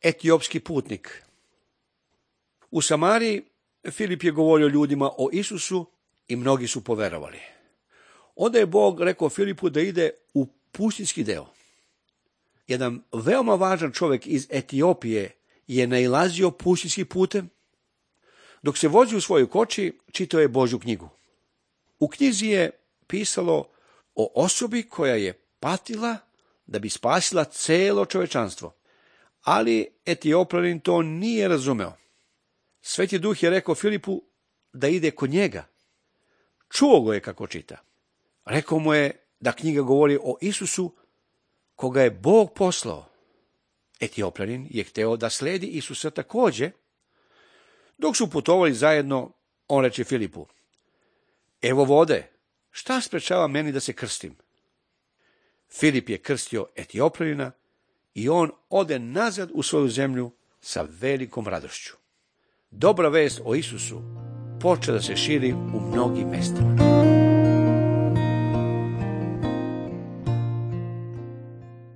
etiopski putnik. U Samariji Filip je govorio ljudima o Isusu i mnogi su poverovali. Onda je Bog rekao Filipu da ide u pustinjski deo. Jedan veoma važan čovjek iz Etiopije je nailazio pustinjskim putem. Dok se vozi u svojoj koči, čitao je Božju knjigu. U knjizi je pisalo o osobi koja je patila da bi spasila celo čovečanstvo. Ali Etiopljanin to nije razumeo. Sveti Duh je rekao Filipu da ide kod njega. Čuo go je kako čita. Rekao mu je da knjiga govori o Isusu koga je Bog poslao. Etiopljanin je hteo da sledi Isusa također. Dok su putovali zajedno, on reče Filipu: evo vode, šta sprečava meni da se krstim? Filip je krstio Etioplanina i on ode nazad u svoju zemlju sa velikom radošću. Dobra vest o Isusu počela da se širi u mnogim mestima.